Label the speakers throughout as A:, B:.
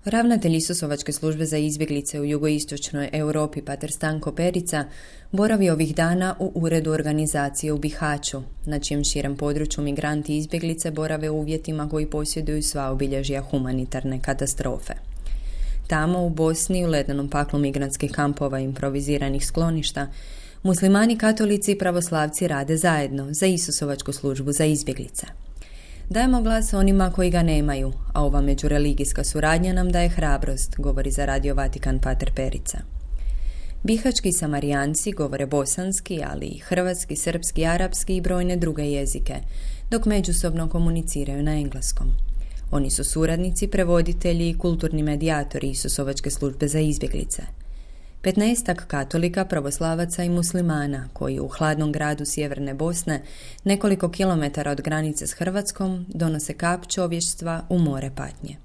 A: Ravnatelj Isusovačke službe za izbjeglice u jugoistočnoj Europi pater Stanko Perica boravi ovih dana u uredu organizacije u Bihaću, na čijem širem području migranti i izbjeglice borave u uvjetima koji posjeduju sva obilježja humanitarne katastrofe. Tamo u Bosni, u ledenom paklu migrantskih kampova i improviziranih skloništa, muslimani, katolici i pravoslavci rade zajedno za Isusovačku službu za izbjeglice. Dajemo glas onima koji ga nemaju, a ova međureligijska suradnja nam daje hrabrost, govori za Radio Vatikan pater Perica. Bihački Samarijanci govore bosanski, ali i hrvatski, srpski, arapski i brojne druge jezike, dok međusobno komuniciraju na engleskom. Oni su suradnici, prevoditelji i kulturni medijatori Isusovačke službe za izbjeglice. 15 katolika, pravoslavaca i muslimana, koji u hladnom gradu sjeverne Bosne, nekoliko kilometara od granice s Hrvatskom, donose kap čovještva u more patnje.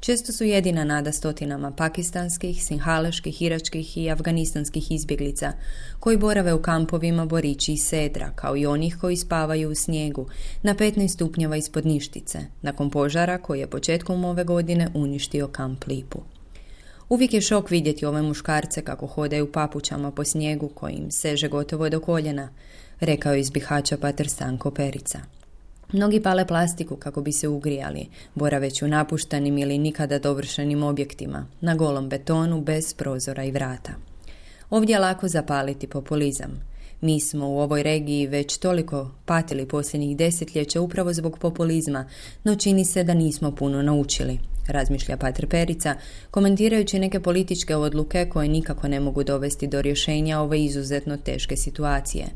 A: Često su jedina nada stotinama pakistanskih, sinhaleških, iračkih i afganistanskih izbjeglica, koji borave u kampovima Borići i Sedra, kao i onih koji spavaju u snijegu, na 15 stupnjeva ispod Ništice, nakon požara koji je početkom ove godine uništio kamp Lipu. Uvijek je šok vidjeti ove muškarce kako hodaju papučama po snijegu koji im seže gotovo do koljena, rekao je iz Bihaća pater Stanko Perica. Mnogi pale plastiku kako bi se ugrijali, boraveći u napuštenim ili nikada dovršenim objektima, na golom betonu bez prozora i vrata. Ovdje je lako zapaliti populizam. Mi smo u ovoj regiji već toliko patili posljednjih desetljeća upravo zbog populizma, no čini se da nismo puno naučili, razmišlja pater Perica, komentirajući neke političke odluke koje nikako ne mogu dovesti do rješenja ove izuzetno teške situacije.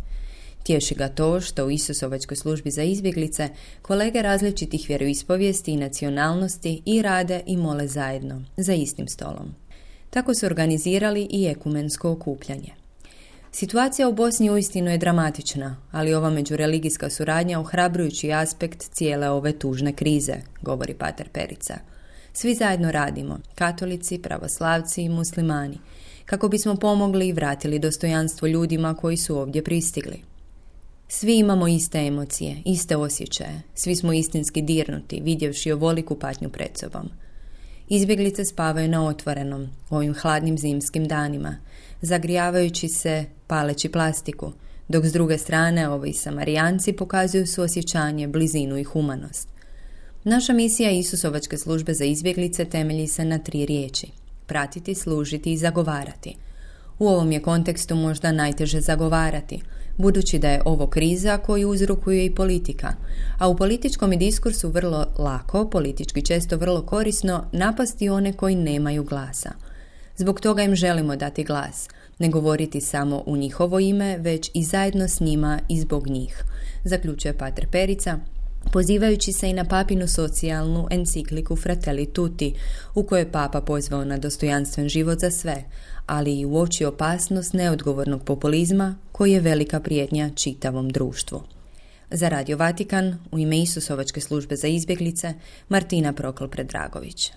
A: Tješi ga to što u Isusovačkoj službi za izbjeglice kolege različitih vjeroispovijesti i nacionalnosti i rade i mole zajedno, za istim stolom. Tako su organizirali i ekumensko okupljanje. Situacija u Bosni uistinu je dramatična, ali ova međureligijska suradnja ohrabrujući aspekt cijele ove tužne krize, govori pater Perica. Svi zajedno radimo, katolici, pravoslavci i muslimani, kako bismo pomogli i vratili dostojanstvo ljudima koji su ovdje pristigli. Svi imamo iste emocije, iste osjećaje, svi smo istinski dirnuti, vidjevši ovoliku patnju pred sobom. Izbjeglice spavaju na otvorenom, u ovim hladnim zimskim danima, zagrijavajući se, paleći plastiku, dok s druge strane ovi Samarijanci pokazuju suosjećanje, blizinu i humanost. Naša misija Isusovačke službe za izbjeglice temelji se na 3 riječi: pratiti, služiti i zagovarati. U ovom je kontekstu možda najteže zagovarati, budući da je ovo kriza koju uzrokuje i politika, a u političkom je diskursu vrlo lako, politički često vrlo korisno, napasti one koji nemaju glasa. Zbog toga im želimo dati glas, ne govoriti samo u njihovo ime, već i zajedno s njima i zbog njih, zaključuje pater Perica, pozivajući se i na papinu socijalnu encikliku Fratelli Tutti, u kojoj je papa pozvao na dostojanstven život za sve, ali i uoči opasnost neodgovornog populizma koji je velika prijetnja čitavom društvu. Za Radio Vatikan, u ime Isusovačke službe za izbjeglice, Martina Prokl-Predragović.